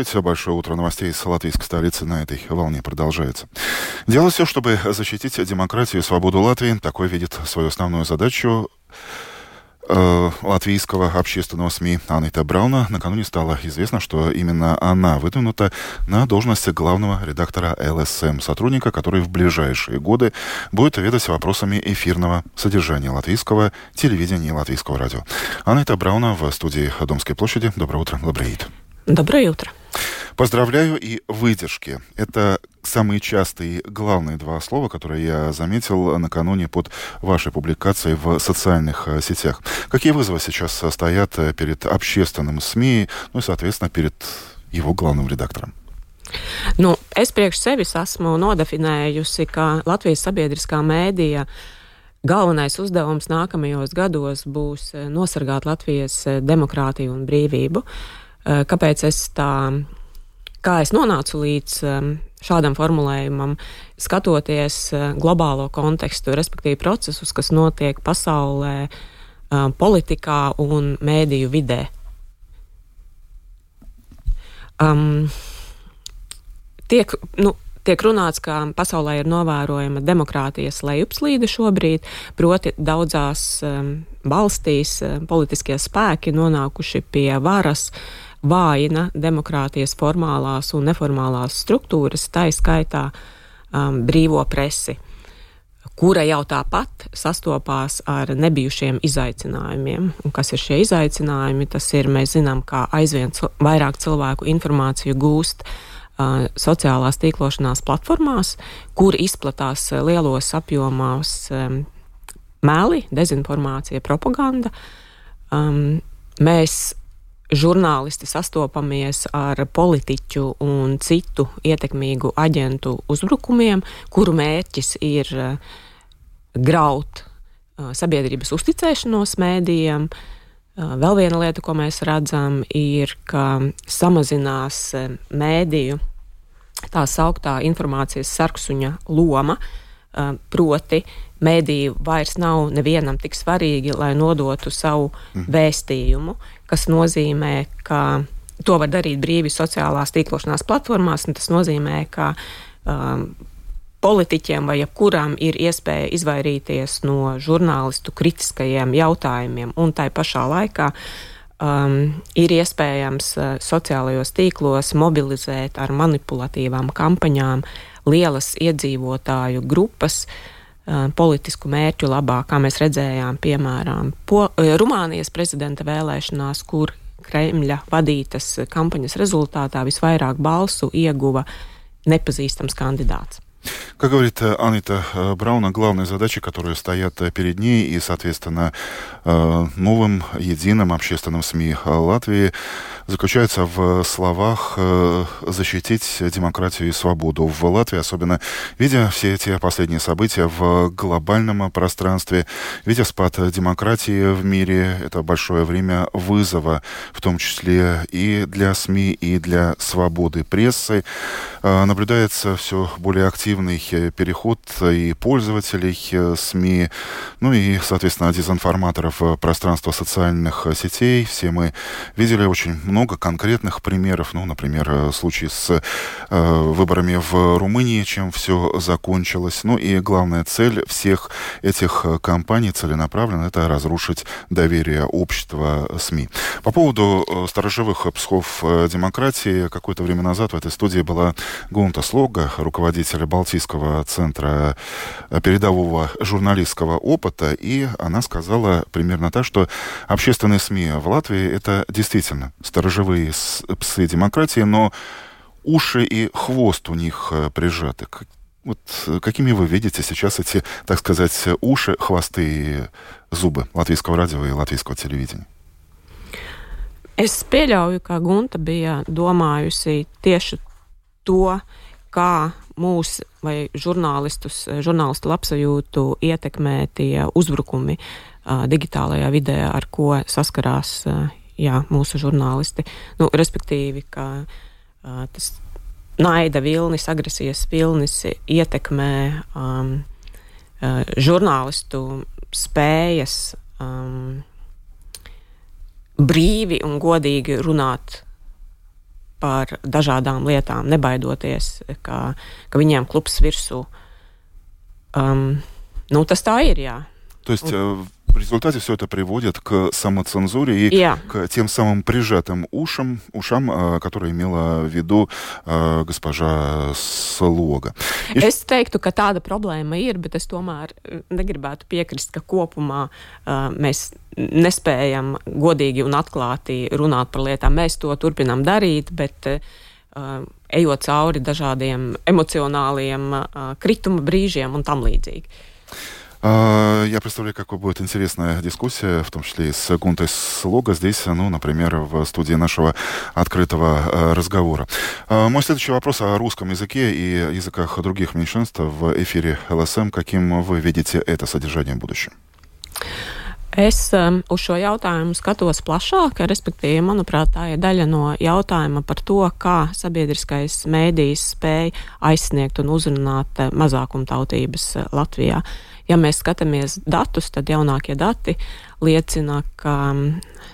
Большое утро новостей из латвийской столицы на этой волне продолжается. Делать все, чтобы защитить демократию и свободу Латвии. Такой видит свою основную задачу латвийского общественного СМИ Анита Брауна. Накануне стало известно, что именно она выдвинута на должность главного редактора ЛСМ, сотрудника, который в ближайшие годы будет ведать вопросами эфирного содержания латвийского телевидения и латвийского радио. Анита Брауна в студии Домской площади. Доброе утро, Лабрейт. Доброе утро. Поздравляю и выдержки. Это самые частые и главные два слова, которые я заметил накануне под вашей публикацией в социальных сетях. Какие вызовы сейчас стоят перед общественным СМИ, ну и, соответственно, перед его главным редактором? Es priekš sevis esmu nodefinējusi, ka Latvijas sabiedriskā mēdīja galvenais uzdevums nākamajos gados būs nosargāt Latvijas demokrātiju un brīvību. Kāpēc kā es nonācu līdz šādam formulējumam, skatoties globālo kontekstu, respektīvi procesus, kas notiek pasaulē, politikā un mēdīju vidē. Tiek runāts, ka pasaulē ir novērojama demokrātijas lejupslīde šobrīd, proti daudzās valstīs politiskie spēki nonākuši pie varas, vājina demokrātijas formālās un neformālās struktūras, tā skaitā brīvo presi, kura jau tāpat sastopās ar nebijušiem izaicinājumiem. Un kas ir šie izaicinājumi? Tas ir, mēs zinām, kā aizvien vairāk cilvēku informāciju gūst sociālās tīklošanās platformās, kur izplatās lielos apjomos meli, dezinformācija, propaganda. Mēs žurnālisti sastopamies ar politiķu un citu ietekmīgu aģentu uzbrukumiem, kuru mērķis ir graut sabiedrības uzticēšanos mēdījiem. Vēl viena lieta, ko mēs redzam, ir, ka samazinās mēdīju tā sauktā informācijas sarksuņa loma, proti mēdīji vairs nav nevienam tik svarīgi, lai nodotu savu vēstījumu, kas nozīmē, ka to var darīt brīvi sociālās tīklošanās platformās, un tas nozīmē, ka politiķiem vai jebkuram ir iespēja izvairīties no žurnālistu kritiskajiem jautājumiem, un tai pašā laikā ir iespējams sociālajos tīklos mobilizēt ar manipulatīvām kampaņām lielas iedzīvotāju grupas politisku mērķu labā, kā mēs redzējām, piemēram, Rumānijas prezidenta vēlēšanās, kur Kremļa vadītas kampaņas результатā visvairāk balsu ieguva nepazīstams кандидатс. Как говорит Анита Брауна, главные задачи, которые стоят перед ней и, соответственно, новым единым общественным СМИ Латвии, заключаются в словах защитить демократию и свободу в Латвии, особенно видя все эти последние события в глобальном пространстве, видя спад демократии в мире. Это большое время вызова, в том числе и для СМИ, и для свободы прессы. Наблюдается все более активный переход и пользователей СМИ, ну и, соответственно, дезинформаторов в пространство социальных сетей. Все мы видели очень много конкретных примеров, ну, например, случай с выборами в Румынии, чем все закончилось. Ну и главная цель всех этих кампаний целенаправленно — это разрушить доверие общества СМИ. По поводу сторожевых псов демократии, какое-то время назад в этой студии была Гунта Слога, руководитель Балтийского центра передового журналистского опыта, и она сказала примерно так, что общественные СМИ в Латвии — это действительно сторожевые псы демократии, но уши и хвост у них прижаты. Вот какими вы видите сейчас эти, так сказать, уши, хвосты и зубы латвийского радио и латвийского телевидения? Es pieļauju, ka Gunta bija domājusi tieši to, kā mūs vai žurnālistu labsajūtu ietekmē tie uzbrukumi digitālajā vidē, ar ko saskarās mūsu žurnālisti. Respektīvi, ka tas naida vilnis, agresijas vilnis ietekmē žurnālistu spējas brīvi un godīgi runāt par dažādām lietām, nebaidoties, ka viņiem klups virsū. Tas tā ir, jā. То есть в результате все это приводит к самоцензуре и к тем самым прижатым ушам, которые имела в виду госпожа Слога. Es teiktu, ka tāda problēma ir, bet es tomēr negribētu piekrist, ka kopumā mēs nespējam godīgi un atklāti runāt par lietām. Mēs to turpinām darīt, bet ejot cauri dažādiem emocionāliem krituma brīžiem un tam līdzīgi. Я представляю, какой будет интересная дискуссия, в том числе и с Гунтой Слога здесь, например, в студии нашего открытого разговора. Мой следующий вопрос о русском языке и языках других меньшинств в эфире ЛСМ. Каким вы видите это содержание в будущем? Es uz šo jautājumu skatos plašāk, respektīvi, manuprāt, tā ir daļa no jautājuma par to, kā sabiedriskais mēdījis spēj aizsniegt un uzrunāt mazākumtautības Latvijā. Ja mēs skatāmies datus, tad jaunākie dati liecina, ka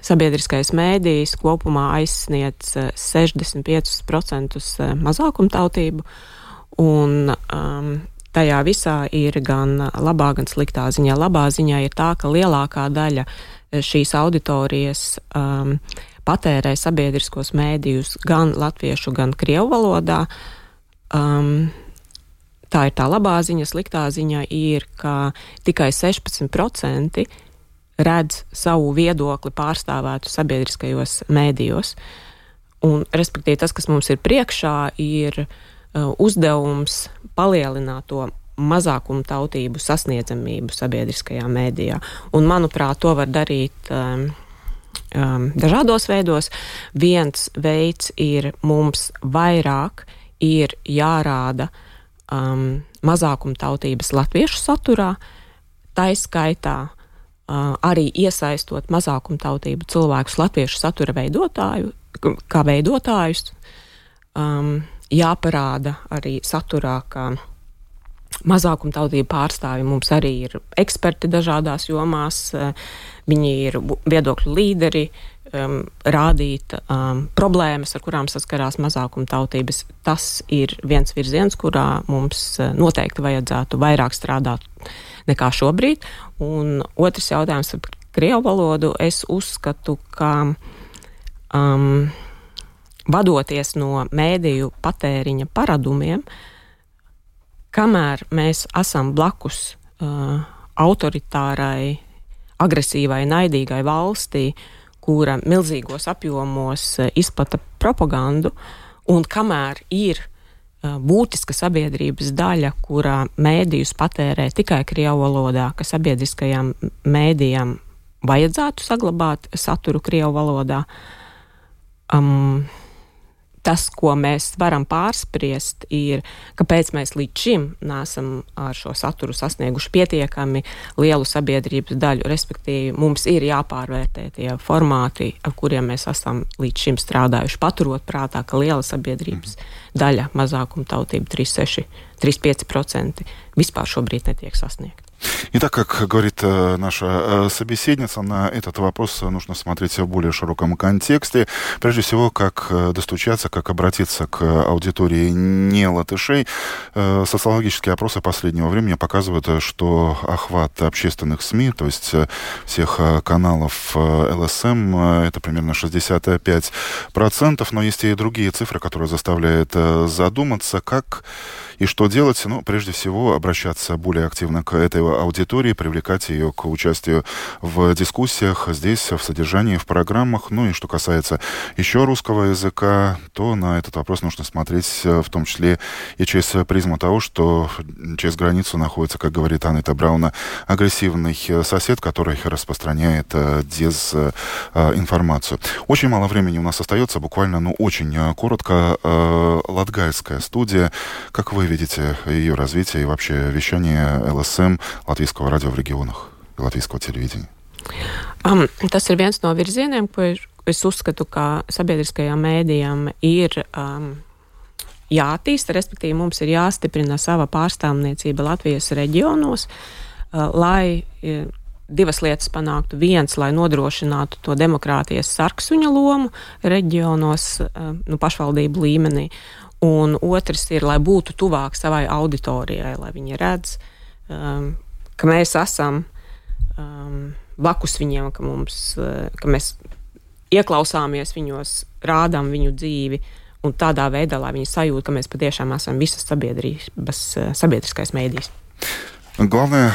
sabiedriskais mēdījis kopumā aizsniedz 65% mazākumtautību, un tajā visā ir gan labā, gan sliktā ziņā. Labā ziņā ir tā, ka lielākā daļa šīs auditorijas patērē sabiedriskos mēdījus gan latviešu, gan krievu valodā. Tā ir tā labā ziņa. Sliktā ziņa ir, ka tikai 16% redz savu viedokli pārstāvētu sabiedriskajos mēdījos. Un, respektīvi, tas, kas mums ir priekšā, ir uzdevums palielināt to mazākumtautību sasniedzamību sabiedriskajā mēdījā. Un, manuprāt, to var darīt dažādos veidos. Viens veids ir mums vairāk ir jārāda mazākumtautības latviešu saturā, taiskaitā arī iesaistot mazākumtautību cilvēkus latviešu satura kā veidotājus. Jāparāda arī saturā, ka mazākumtautību pārstāvji mums arī ir eksperti dažādās jomās, viņi ir viedokļu līderi, rādīt problēmas, ar kurām saskarās mazākumtautības. Tas ir viens virziens, kurā mums noteikti vajadzētu vairāk strādāt nekā šobrīd. Un otrs jautājums par krievu valodu. Es uzskatu, ka vadoties no mēdīju patēriņa paradumiem, kamēr mēs esam blakus autoritārai, agresīvai, naidīgai valstī, kura milzīgos apjomos izplata propagandu, un kamēr ir būtiska sabiedrības daļa, kurā mēdījus patērē tikai krievu valodā, ka sabiedriskajām mēdījām vajadzētu saglabāt saturu krievu valodā, tas, ko mēs varam pārspriest, ir, kāpēc mēs līdz šim nesam ar šo saturu sasnieguši pietiekami lielu sabiedrības daļu, respektīvi mums ir jāpārvērtē tie formāti, ar kuriem mēs esam līdz šim strādājuši, paturot prātā, ka liela sabiedrības daļa mazākumtautība 3,5% vispār šobrīд netiek sasniegta. Итак, как говорит наша собеседница, на этот вопрос нужно смотреть в более широком контексте. Прежде всего, как достучаться, как обратиться к аудитории не латышей. Социологические опросы последнего времени показывают, что охват общественных СМИ, то есть всех каналов ЛСМ, это примерно 65%. Но есть и другие цифры, которые заставляют задуматься, как и что делать. Прежде всего, обращаться более активно к этой аудитории, привлекать ее к участию в дискуссиях здесь, в содержании, в программах. И что касается еще русского языка, то на этот вопрос нужно смотреть в том числе и через призму того, что через границу находится, как говорит Анита Брауна, агрессивный сосед, который распространяет дезинформацию. Очень мало времени у нас остается, буквально, очень коротко. Латгальская студия. Как вы видите ее развитие и вообще вещание ЛСМ, латвийского радио в регионах, латвийского телевидения? Tas ir viens no virzieniem, ko es uzskatu, ka sabiedriskajām mēdījām ir jāattīsta, respektīvi mums ir jāstiprina sava pārstāvniecība Latvijas reģionos, lai divas lietas panāktu. Viens, lai nodrošinātu to demokrātijas sarksuņa lomu reģionos, pašvaldību līmenī. Un otrs ir, lai būtu tuvāk savai auditorijai, lai viņi redz, ka mēs esam blakus viņiem, ka mēs ieklausāmies viņos, rādām viņu dzīvi, un tādā veidā, lai viņi sajūt, ka mēs patiešām esam visas sabiedriskais mēdījis. Главное